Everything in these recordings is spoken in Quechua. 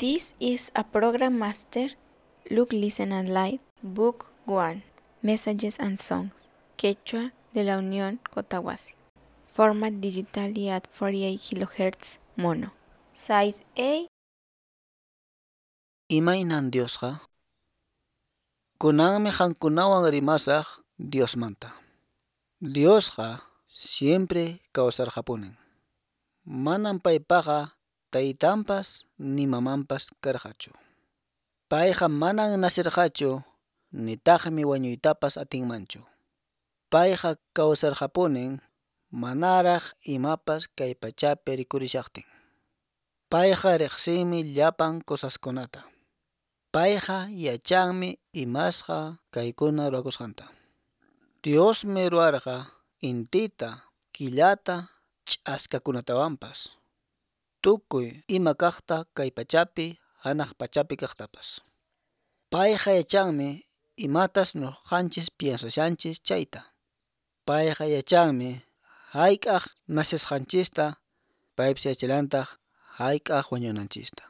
This is a program master. Look, listen and live. Book 1. Messages and Songs. Quechua de la Unión Cotahuasi. Format digitally at 48 kHz mono. Side A. Imaynan Diosqa? Kunanmi qankunawan rimasaq Diosmanta. Diosqa siempre kawsarqapunin. Manan paypaqa taytanpas ni mamanpas karqachu. Payqa manan nacirqachu nitaqmi wañuytapas atinmanchu. Payqa kawsarqapunin manaraq imapas kay pachapi rikurishaqtin. Payqa riqsinmi llapan cosaskunata. Payqa yachanmi imasqa kaykuna ruwakusqanta. Diosmi ruwarqa intita, killata, ch'askakunatawanpas. Tukuy ima kaqta kay pachapi, hanaq pachapi kaqtapas. Payqa yachanmi imatas nuqanchis piensashanchis chayta. Payqa yachanmi hayk'aq nacesqanchista, paypis yachallantaq hayk'aq wañunanchista.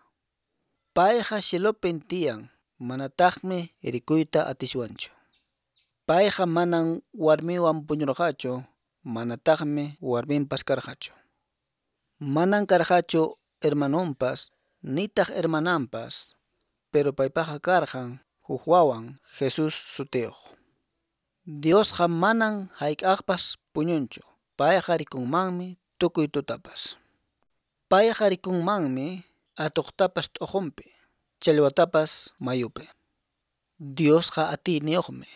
Payqa cielopin tiyan, manataqmi rikuyta atiswanchu. Payqa manan warmiwan puñurqachu, manataqmi warminpas karqachu. Manan karqachu hermanonpas, nitaq hermananpas, pero paypaqa karqan huk wawan Jesús sutiyuq. Diosqa manan hayk'aqpas puñunchu, payqa rikunmanmi tukuy tutapas. Payqa rikunmanmi atuqtapas t'uqunpi, challwatapas mayupi. Diosqa atiyniyuqmi,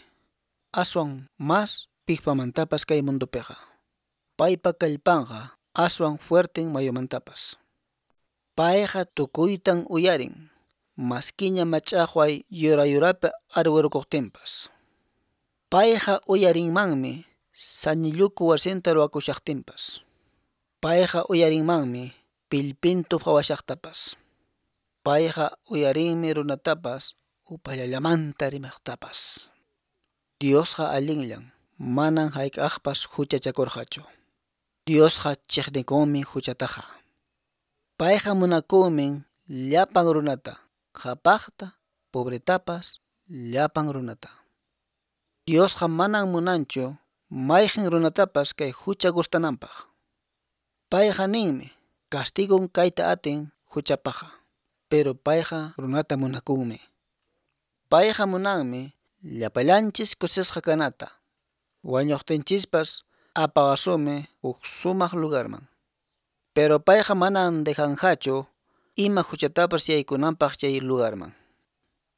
aswan mas piqpamantapas kay mundupiqa. Paypa kallpanqa aswan fuerten mayumantapas. Payqa tukuytan uyarin, maskiña mach'aqway yura yurapi arwirukuqtinpas. Payqa uyarinmanmi sañilluku wasinta ruwakushaqtinpas. Payqa uyarinmanmi pillpintu phawashaqtapas. Payqa uyarinmi runatapas upallallamanta rimaqtapas. Diosqa allinllan, manan hayk'aqpas huchachakurqachu. Diosqa chiqnikunmi huchataqa. Payqa munakunmi llapan runata, qhapaqta, pobretapas, llapan runata. Diosqa manan munanchu mayqin runatapas kay hucha gustananpaq. Payqa ninmi castigon kayta atin huchapaqa, pero payqa runata munakunmi. Payqa munanmi llapallanchis kusisqa kanata. Wañuqtinchispas apawasunmi huk sumaq lugarman. Pero payqa manan dejanqachu ima huchatapas yaykunanpaq chay lugarman.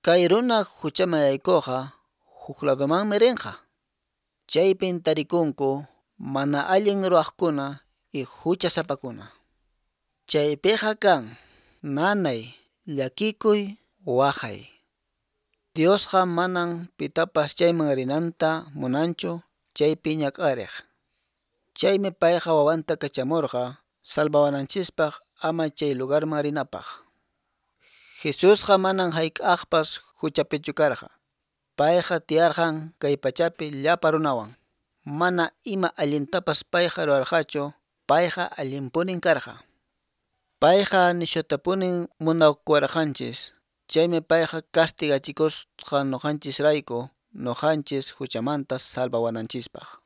Kay runa huchaman yaykuqqa huk ladomanmi rinqa. Chaypin tarikunku mana allin ruwaqkuna y huchasapakuna. Chaypiqa kan nanay, llakikuy, waqay. Diosqa manan pitapas chayman rinanta munanchu chaypi ñak'ariq. Chaymi payqa wawanta kachamurqa salvawananchispaq ama chay lugarman rinapaq. Jesusqa manan hayk'aqpas huchapichu karqa. Payqa tiyarqan kay pachapi llapa runawan. Mana ima allintapas payqa ruwarqachu, payqa allinpunin karqa. Payqa nishutapunin munakuwarqanchis. Chaymi payqa castigachikusqa nuqanchisrayku, nuqanchis huchamanta salvawananchispaq.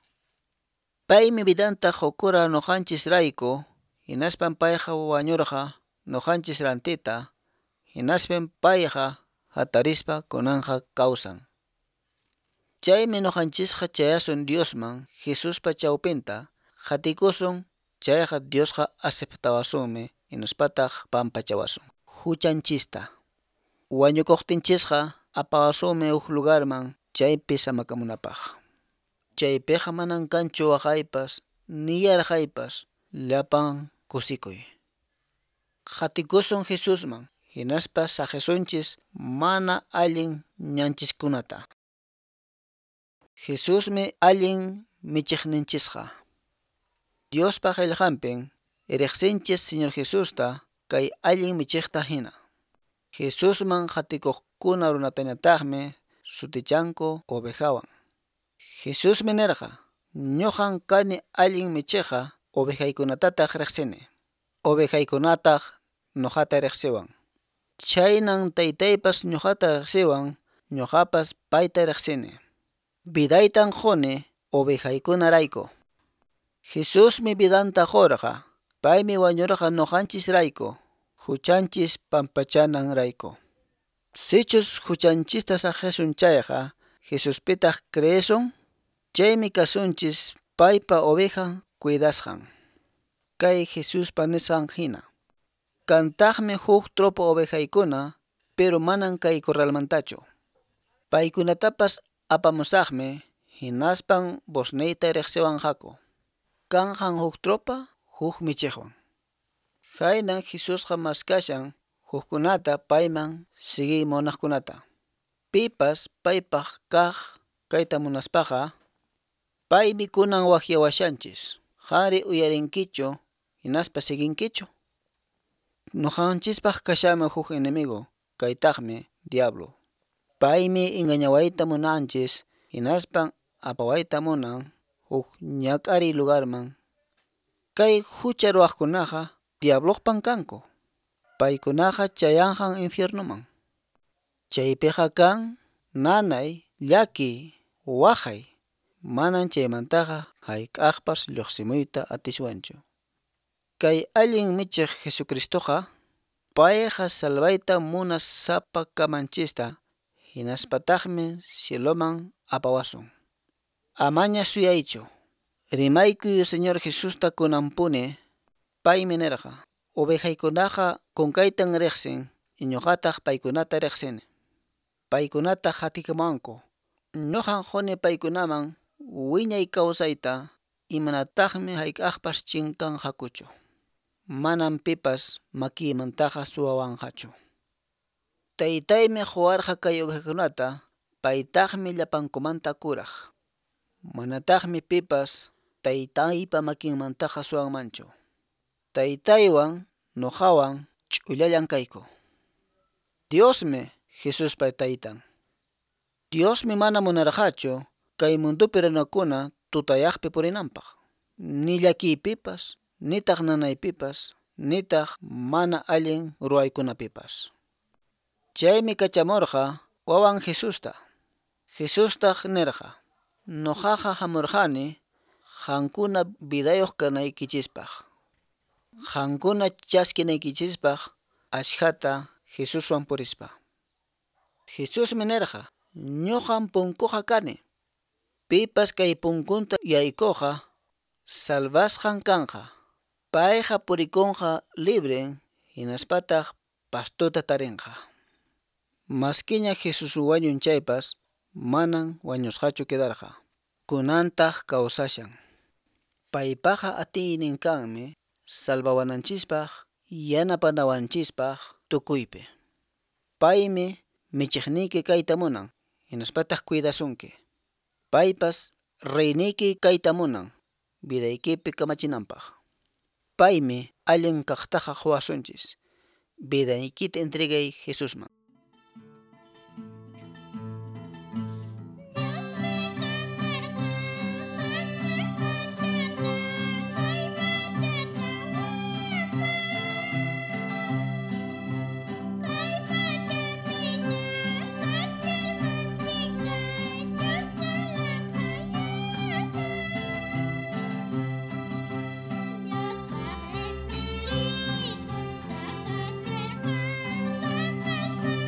Paymi vidanta qukura nuqanchisrayku, hinaspan payqa wañurqa nuqanchis rantita, hinaspan payqa hatarispa kunanqa kawsan. Chaymi nuqanchisqa chayasun Diosman Jesuspa chawpinta, qhatikusun, chayqa Diosqa aceptawasunmi, hinaspataq pampachawasun huchanchista. Wañukuqtinchisqa apawasunmi huk lugarman chaypi samakamunapaq. Chaypiqa manan kanchu waqaypas ni yarqaypas, llapan kusikuy. Qhatikusun Jesusman, hinaspa saqisunchis mana allin ñanchiskunata. Jesusmi allin michiqninchisqa. Diospa qillqanpin riqsinchis Señor Jesusta kay allin michiqta hina. Jesusman qhatikuqkuna runatañataqmi sutichanku ovejawan. Jesusmi nirqa, ñuqan kani allin michiqqa, ovejaykunatataq riqsini. Ovejaykunataq nuqata riqsiwan. Chhaynan Taytaypas ñoqata riqsiwan, ñoqapas payta riqsini. Vidaytan quni ovejaykunarayku. Jesusmi vidanta qurqa, paymi wañurqa ñoqanchisrayku, huchanchis pampachananrayku. Sichus huchanchista saqisun chayqa, Jesuspitaq creesun, chaymi kasunchis paypa ovejan cuidasqan. Kay Jesuspa nisqan hina. Kantaqmi huk tropa ovejaykuna, pero manan kay corralmantachu. Paykunatapas apamusaqmi, hinaspan vozniyta riqsiwanqaku. Kanqan huk tropa, huk michiqwan. Khaynan Jesusqa maskashan hukkunata payman siguiy munaqkunata. Pipas paypaq kaq kayta munaspaqa, paymi kunan waqyawashanchis. Qanri uyarinkichu hinaspa siguinkichu? Ñuqanchispaq kashanmi huk enemigo, kaytaqmi diablo. Paymi engañawayta munanchis, hinaspan apawayta munan huk ñak'ariy lugarman. Kay hucha ruwaqkunaqa diabloqpan kanku. Paykunaqa chayanqan infiernoman. Chaypiqa kan nanay, llakiy, waqay. Manan chaymantaqa hayk'aqpas lluqsimuyta atiswanchu. Kay allin michiq Jesucristoqa, payqa salvayta munas sapa kamanchista, hinaspataqmi cieloman apawasun. Amaña suyaychu. Rimaykuy Señor Jesusta kunanpuni, paymi nirqa: Ovejaykunaqa kunkaytan riqsin, ñuqataq paykunata riqsini. Paykunataq qatikamuwanku. Ñuqan quni paykunaman wiñay kawsayta, imanataqmi hayk'aqpas chinkanqakuchu. Manan pipas makiymantaqa suwawanqachu. Taytaymi quwarqa kay ovejakunata, paytaqmi llapankumanta kuraq. Manataqmi pipas Taytaypa makinmantaqa suwanmanchu. Taytaywan ñuqawan ch'ullallan kayku. Diosmi Jesuspa taytan. Diosmi mana munarqachu kay mundopi runakuna tutayaqpi purinanpaq, ni llakiypipas, nitaq nanaypipas, nitaq mana allin ruwaykunapipas. Chaymi kachamurqa wawan Jesusta. Jesustaq nirqa: Ñuqaqa hamurqani qankuna vidayuq kanaykichispaq, qankuna chaskinaykichispaq ashkhata Jesuswan purispa. Jesusmi nirqa: Ñuqam punkuqa kani. Pipas kay punkunta yaykuqqa salvasqan kanqa. Payqa purikunqa libren, hinaspataq pastota tarinqa. Maskiña Jesús wañun chaypas, manan wañusqachu quedarqa. Kunantaq kawsashan. Paypaqa atiynin kanmi salvawananchispaq, yanapanawanchispaq tukuypi. Paymi michiqniyki kayta munan, hinaspataq cuidasunki. Paypas reyniyki kayta munan, vidaykipi kamachinanpaq. Paymi allin kaqtaqa quwasunchis. Vidaykita entregay Jesusman. Dios.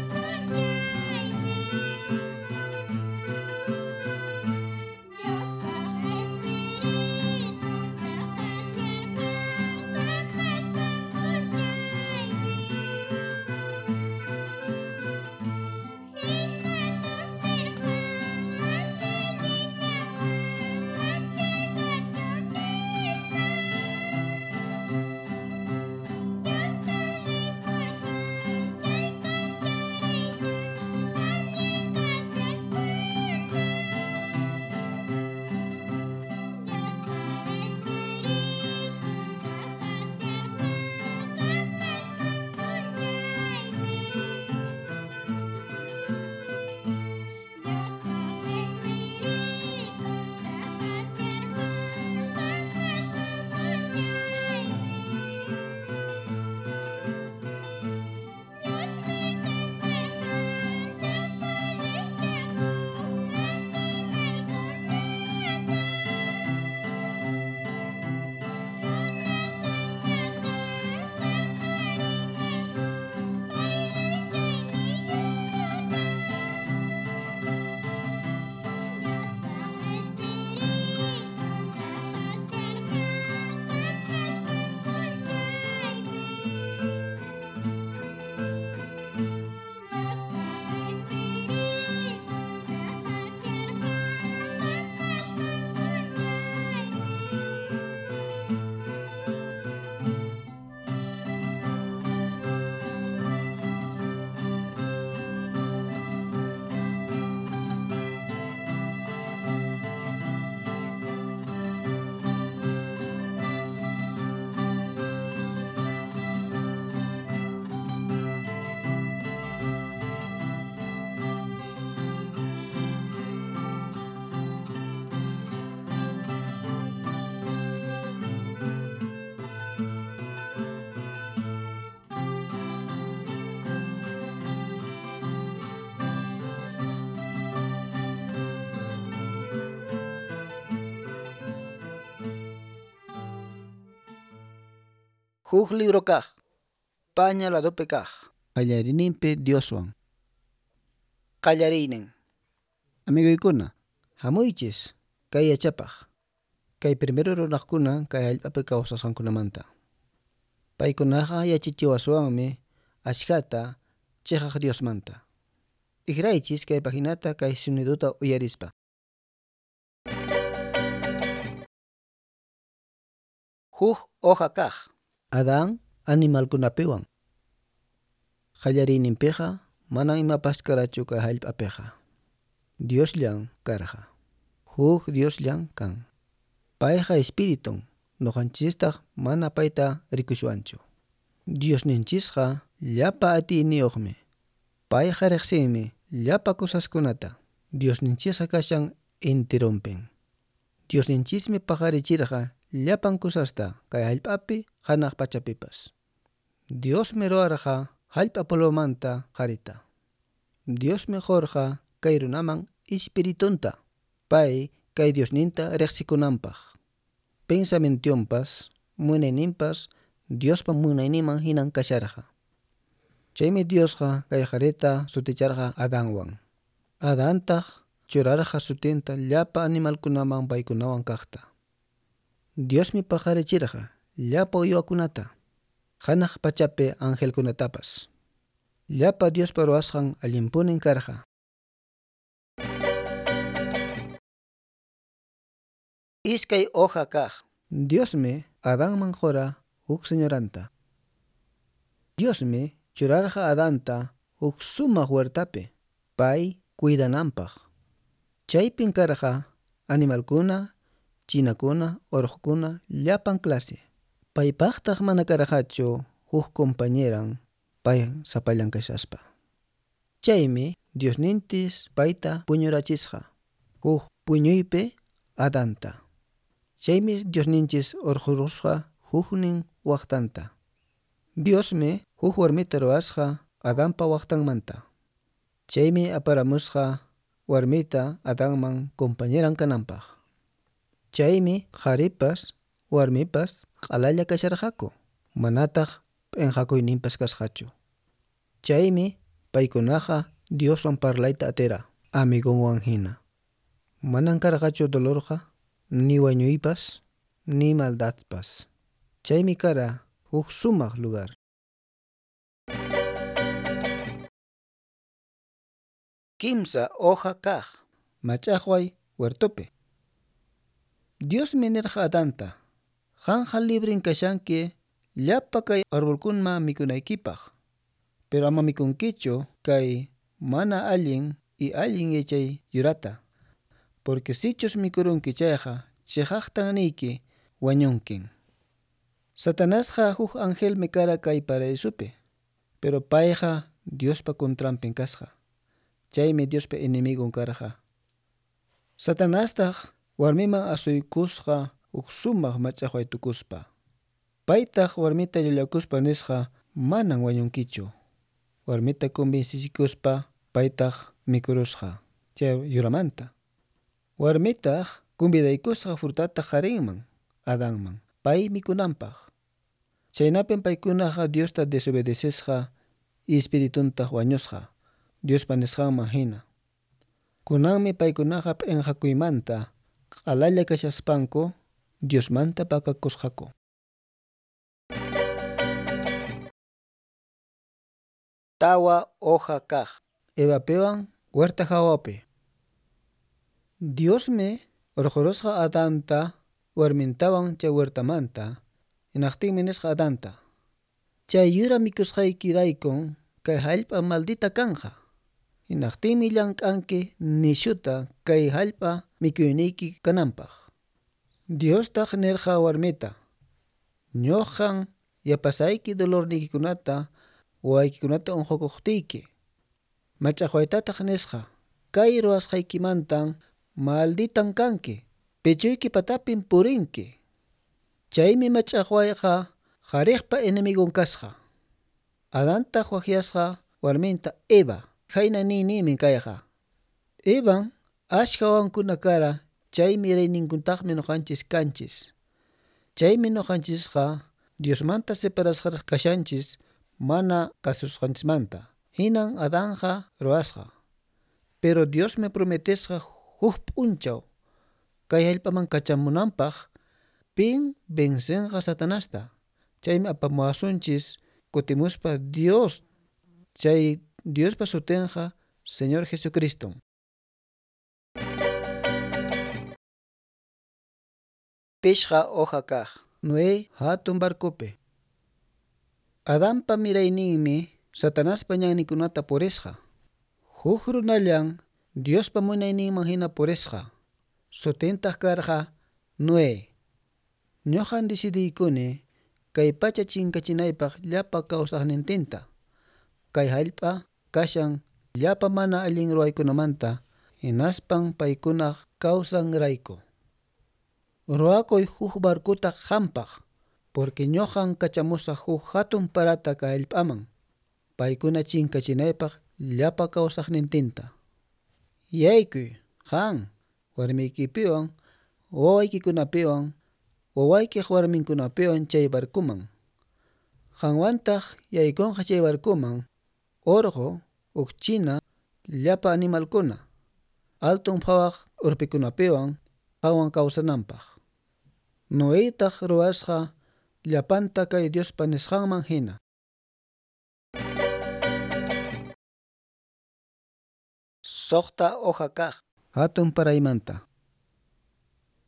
Huk libro kaq, paña ladopi kaq. Qallariyninpi Dioswan. Qallariynin. Amigoykuna, hamuychis kay yachapaq. Kay primero runaqkuna kay hallp'api kawsasqankunamanta. Paykunaqa yachachiwaswanmi ashkhata chiqaq Diosmanta. T'ikraychis kay paginata kay soniduta uyarispa. Huk hoja kaq. Adán animalkunapiwan. Qallariyninpiqa manan imapas karachu kay hallp'apiqa. Diosllan karqa. Huk Diosllan kan. Payqa espiritun, nuqanchistaq mana payta rikushwanchu. Diosninchisqa llapa atiyniyuqmi. Payqa riqsinmi llapa cosaskunata. Diosninchisqa kashan enteronpin. Diosninchismi paqarichirqa llapan cosasta kay hallp'api hanaq pachapipas. Diosmi ruwarqa hallp'a polvomanta qharita. Diosmi qurqa kay runaman espiritunta, pay kay Diosninta riqsikunanpaq. Pensamientonpas, munayninpas Diospa munayninman hinan kasharqa. Chaymi Diosqa kay qharita suticharqa Adanwan. Adantaq churarqa sutinta llapa animalkunaman paykunawan kaqta. Diosmi paqarichirqa llapa uywakunata, hanaq pachapi angelkunatapas. Llapa Diospa ruwasqan allinpunin karqa. Iskay hoja kaq. Diosmi Adanman qura huk señoranta. Diosmi churarqa Adanta huk sumaq huertapi, pay cuidananpaq. Chaypin karqa animalkuna, chinakuna, urqukuna, llapan clase. Paypaqtaq mana karqachu huk compañeran pay sapallan kashaspa. Chaymi Diosninchis payta puñurachisqa, huk puñuypi Adanta. Chaymi Diosninchis urqurusqa huknin waqtanta. Diosmi huk warmita ruwasqa Adanpa waqtanmanta. Chaymi aparamusqa warmita Adanman compañeran kananpaq. Chaymi qharipas warmipas q'alalla kasharqaku, manataq p'inqakuyninpas kasqachu. Chaymi paykunaqa Dioswan parlayta atira, amigonwan hina. Manan karqachu dolorqa, ni wañuypas, ni maldadpas. Chaymi kara huk sumaq lugar. Kimsa hoja kaq. Mach'aqway huertopi. Diosmi nirqa Adanta, qanqa librin kashanki llapa kay arbolkunama mikunaykipaq, pero ama mikunkichu kay mana allin y allin yachay yurata, porque sichus mikurunki chayqa chiqaqtan niyki wañunkin. Satanasqa huk angelmi kara kay paraísopi, pero payqa Diospa contranpin kasqa. Chaymi Diospa enemigon karqa. Satanastaq warmiman asuykusqa huk sumaq mach'aqway tukuspa. Paytaq warmita llullakuspa nisqa manan wañunkichu. Warmita convencikuspa paytaq mikurusqa chay yuramanta. Warmitaq convidaykusqa frutata qarinman, Adanman, pay mikunanpaq. Chaynapin paykunaqa Diosta desobedecesqa espirituntaq wañusqa, Diospa nisqanman hina. Kunanmi paykunaqa p'inqakuymanta q'alalla kashaspanku Diosmanta pakakusqaku. Tawa hoja kaq. Evapiwan huerta hawapi. Diosmi urqurusqa Adanta warmintawan chay huertamanta, hinaqtinmi nisqa Adanta: Chay yura mikusqaykiraykun kay hallp'a maldita kanqa. Hinaqtinmi llank'anki nishuta kay hallp'a mikuyniyki kananpaq. Diostaq nirqa warmita: Ñuqan yapasayki dolorniykikunata wawaykikunata unqukuqtiyki. Mach'aqwaytataq nisqa: Kay ruwasqaykimantan malditan kanki, pechuyki patapin purinki. Chaymi mach'aqwayqa qhariqpa enemigon kasqa. Adantaq waqyasqa warminta Eva, khayna niyninmi kayqa. Evan ashka wawankuna kara, chaymi mirayninkuntaqmi nuqanchis kanchis. Chaymi nuqanchisqa Diosmanta separasqa kashanchis mana kasusqanchismanta. Hinan Adanqa ruwasqa. Pero Diosmi prometesqa huk p'unchaw kay hallp'aman kachamunanpaq pin vencenqa Satanasta. Chaymi apamuwasunchis kutimuspa Dios, chay Diospa sutinqa Señor Jesucristo. Pishqa hoja kaq. Noé hatun barcopi. Adanpa mirayninmi Satanaspa ñanninkunata purisqa. Huk runallan Diospa munayninman hina purisqa. Sutintaq karqa Noé. Ñuqan decidiykuni kay pacha chinkachinaypaq llapa kawsaqnintinta. Kay hallp'a kashan llapa mana allin ruwaykunamanta hinaspan paykunaq kawsanrayku. Ruwakuy huk barcota qampaq, porque ñuqan kachamusaq huk hatun parata kay hallp'aman, paykuna chinkachinaypaq llapa kawsaqnintinta. Yaykuy, qan, warmiykipiwan, wawaykikunapiwan, wawaykiq warminkunapiwan chay barcoman. Qanwantaq yaykunqa chay barcoman, urqu, ukchina, llapa animalkuna, alton phawaq urpikunapiwan, qanwan kawsananpaq. Noetaq ruwasqa llapanta kay Diospa nisqanman hina. Suqta hoja kaq. Hatun paraymanta.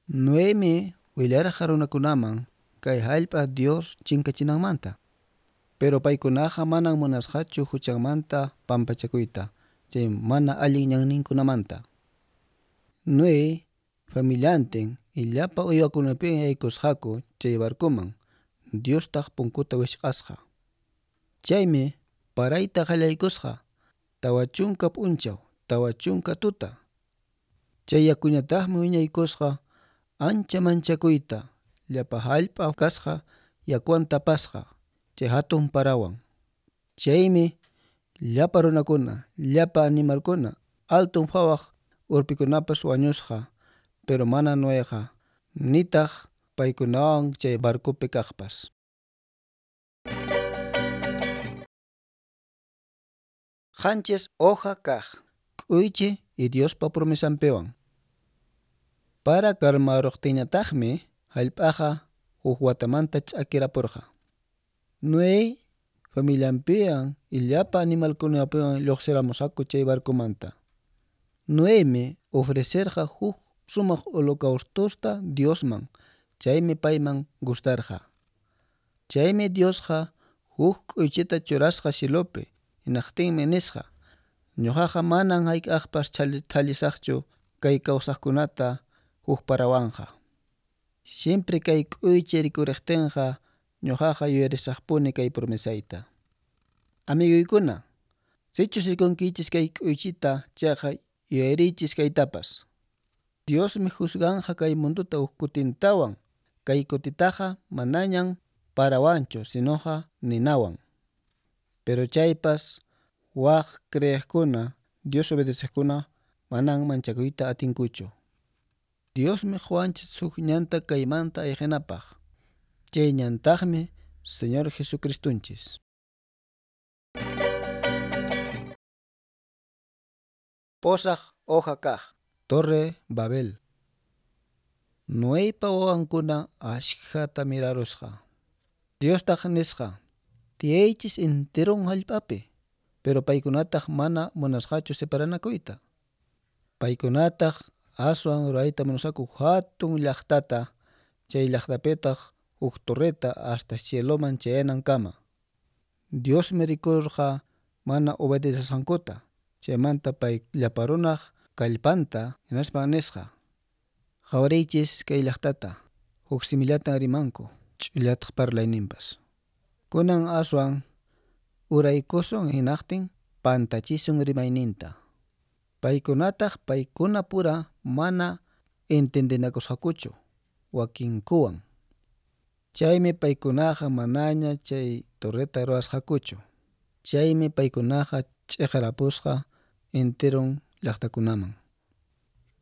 Noemi willarqa runakunaman kay hallp'a Dios chinkachinanmanta. Pero paykunaqa manan munasqachu huchanmanta pampachakuyta, chay mana allin ñanninkunamanta. Noé familiantin y llapa uywakunapiwan yaykusqaku chay barcoman, Diostaq punkuta wichq'asqa. Chaymi parayta qallaykusqa 40 p'unchaw, 40 tuta. Chay yakuñataqmi wiñaykusqa ancha manchakuyta, llapa hallp'a kasqa yakuwan tapasqa, chay hatun parawan. Chaymi llapa runakuna, llapa animalkuna, alton phawaq urpikunapas wañusqa, pero mana Noeqa, nitaq paykunawan chay barcopi kaqpas. 7 hoja kaq. K'uychi y Diospa promesanpiwan. Para karmaruqtinñataqmi hallp'aqa huk watamanta ch'akirapurqa. Noé familianpiwan y llapa animalkunapiwan lluqsiramusqaku chay barcomanta. Noemi ofrecerqa huk sumaq holocaustosta Diosman, chaymi payman gustarqa. Chaymi Diosqa huk k'uychita churasqa cielopi, hinaqtinmi nisqa: ñuqaqa manan hayk'aqpas thallisaqchu kay kawsaqkunata huk parawanqa. Siempre kay k'uychi rikuriqtinqa ñuqaqa yuyarisaqpuni kay promesayta. Amiguykuna, sichus rikunkichis kay k'uychita chayqa yuyariychis kaytapas. Diosmi juzganqa kay mundota huk kutintawan, kay kutitaqa manañan parawanchu, sinoqa ninawan. Pero chaypas waq creeqkuna, Dios obedeceqkuna manan manchakuyta atinkuchu. Diosmi quwanchis huk ñanta kaymanta ayqinapaq. Chay ñantaqmi Señor Jesucristunchis. 8 hoja kaq. Torre Babel. Noeypa wawankuna ashkhata mirarusqa. Diostaq nisqa: tiyaychis enteron hallp'api, pero paykunataq mana munasqachu separanakuyta. Paykunataq aswan ruwayta munasqaku hatun llaqtata, chay llaqtapitaq huk torreta hasta cieloman chayanankama. Diosmi rikurqa mana obedecesqankuta, chaymanta pay llapa runaq kallpanta hinaspa nisqa: qhawariychis kay llaqtata, huk simillatan rimanku, ch'ullataq parlayninpas. Kunan aswan uraykusun hinaqtin pantachisun rimayninta. Paykunataq paykuna pura mana entendinakusqakuchu wakinkuwan. Chaymi paykunaqa manaña chay torreta ruwasqakuchu. Chaymi paykunaqa ch'iqarapusqa enteron llaqtakunaman.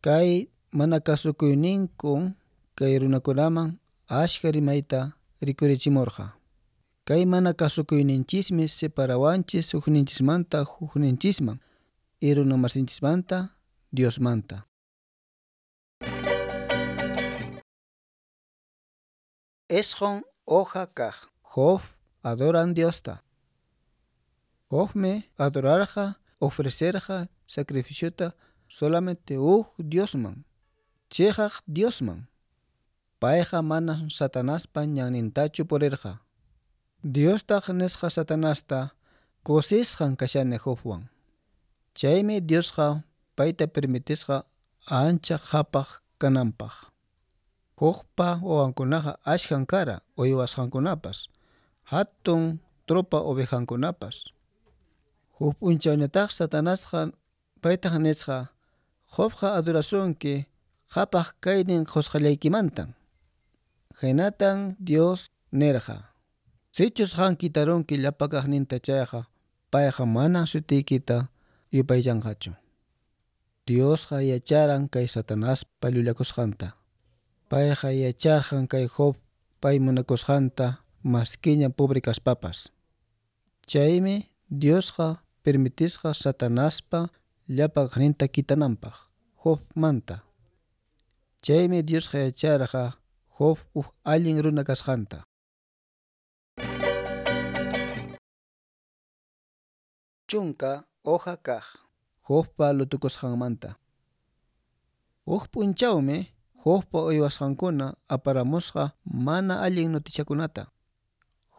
Kay mana kasukuyninkun kay runakunaman ashka rimayta rikurichimurqa. Kay mana kasukuyninchismi separawanchis hukninchismanta hukninchisman, y runamasinchismanta Diosmanta. Esjon hoja kaq. Job adoran Diosta. Jobmi adorarqa, ofrecerqa sacrificiota solamente huk Diosman, chiqaq Diosman. Payqa mana Satanaspa ñannintachu purirqa. Diostaq nisqa Satanasta kusisqan kashani Jobwan. Chaymi Diosqa payta permitisqa ancha qhapaq kananpaq. Jobpa wawankunaqa ashkan kara uywasqankunapas, hatun tropa ovejankunapas. Huk p'unchawñataq Satanasqa paytaq nisqa Jobqa adorasunki qhapaq kaynin qusqallaykimantan. Haynatan Dios nirqa: Sichus qan kitarunki llapa kaqninta chayqa, payqa manan sutiykita yupaychanqachu. Diosqa yacharan kay Satanaspa llullakusqanta. Payqa yacharqan kay Job pay munakusqanta maskiña pobre kaspapas. Chaymi Diosqa permitisqa Satanaspa llapa kaqninta kitananpaq Jobmanta. Chaymi Diosqa yacharqa Job huk allin runa kasqanta. Chunka hoja kaq. Jobpa lutukusqanmanta. Huk p'unchawmi Jobpa uywasqankuna aparamusqa mana allin noticiakunata.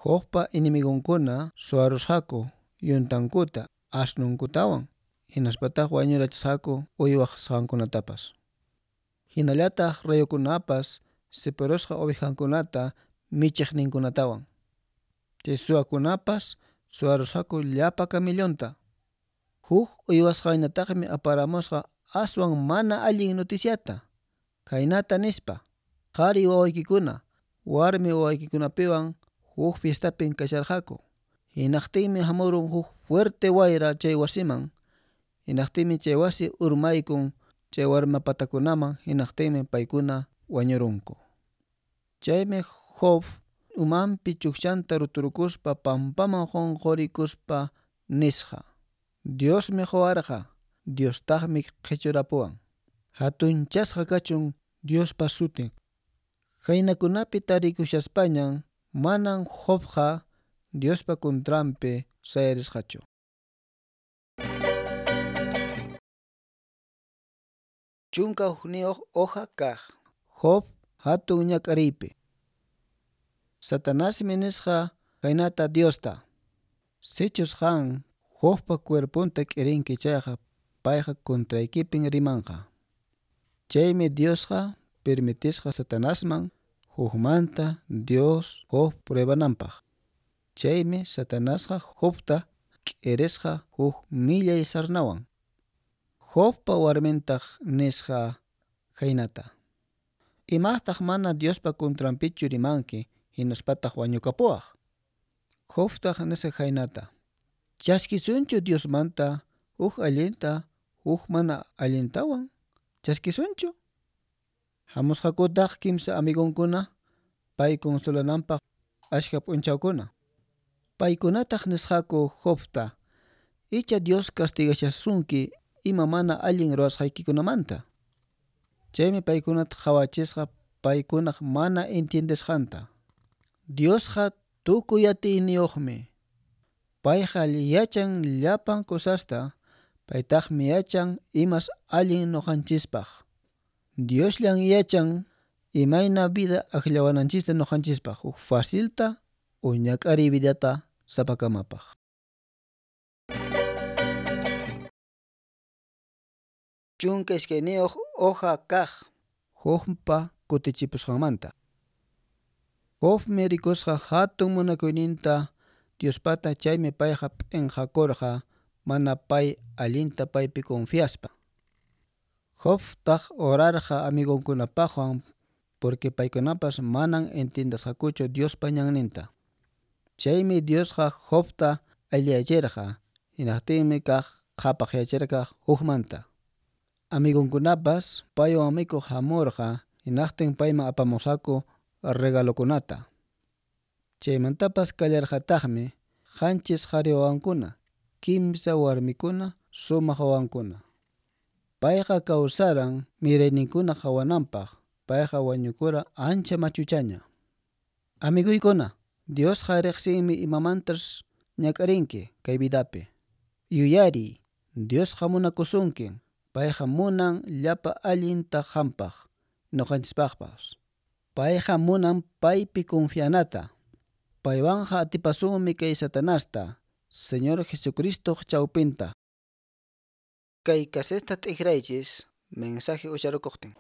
Jobpa enemigonkuna suwarusqaku yuntankuta, asnunkutawan, hinaspataq wañurachisqaku uywasqankunatapas. Hinallataq rayukunapas sipirusqa ovejankunata michiqninkunatawan. Chay suwakunapas suwarusqaku llapa camellonta. Huk uywasqañataqmi aparamusqa aswan mana allin noticiata. Khaynata nispa: qhari wawaykikuna, warmi wawaykikunapiwan huk fiestapin kasharqaku. Hinaqtinmi hamurun huk fuerte wayra chay wasiman. Hinaqtinmi chay wasi urmaykun chay warma patakunaman, hinaqtinmi paykuna wañurunku. Chaymi Job umanpi chukchanta ruturukuspa pampaman qunqurikuspa nisqa: Diosmi quwarqa, Diostaqmi qichurapuwan. Hatunchasqa kachun Diospa sutin. Khaynakunapi tarikushaspañan manan Jobqa Diospa contranpi sayarisqachu. Chunka hukniyuq hoja kaq. Job hatun ñak'ariypi. Satanasmi nisqa khaynata Diosta: Sichus qan Jobpa cuerponta k'irinki chayqa, payqa contraykipin rimanqa. Chaymi Diosqa permitisqa Satanasman hukmanta Dios Job pruebananpaq. Chaymi Satanasqa Jobta k'irisqa huk millay sarnawan. Jobpa warmintaq nisqa khaynata: Imaqtaq mana Diospa contranpichu rimanki, hinaspataq wañukapuwaq. Jobtaq nisqa khaynata: Chaskisunchu Diosmanta huk allinta, huk mana allintawan? Chaskisunchu? Hamusqakutaq kimsa amigonkuna pay consolananpaq ashka p'unchawkuna. Paykunataq nisqaku Jobta: Icha Dios castigashasunki ima mana allin ruwasqaykikunamanta. Chaymi paykunata qhawachisqa paykunaq mana entiendesqanta. Diosqa tukuy atiyniyuqmi. Payqa yachan llapan cosasta, paytaqmi yachan imas allin ñuqanchispaq. Diosllan yachan imayna vida akllawananchista ñuqanchispaq, huk facilta o ñak'ariy vidata sapakamapaq. Chunka iskayniyuq hoja kaq. Jobpa kutichipusqanmanta. Jobmi rikusqa hatun munakuyninta Diospata, chaymi payqa p'inqakurqa mana pay allinta paypi confiaspa. Jobtaq orarqa amigonkunapaqwan porque paykunapas manan entiendasqakuchu Diospa ñanninta. Chaymi Diosqa Jobta alliyachirqa, hinaqtinmi kaq qhapaqyachirqa hukmanta. Amigonkunapas paywan mikuq hamurqa, hinaqtin payman apamusqaku regalokunata. Chaymantapas kallarqataqmi 7 qhari wawankuna, 3 warmikuna sumaq wawankuna. Payqa kawsaran mirayninkuna qhawananpaq, payqa wañukuran ancha machuchaña. Amiguykuna, Diosqa riqsinmi imamantas ñak'arinki kay vidapi. Yuyariy, Diosqa munakusunkin, payqa munan llapa allinta qampaq, ñuqanchispaqpas. Payqa munan paypi confianata. Paywanqa atipasunmi kay Satanasta, Señor Jesucristoq chawpinta. Kay casetta t'ikraychis mensaje ucharukuqtin.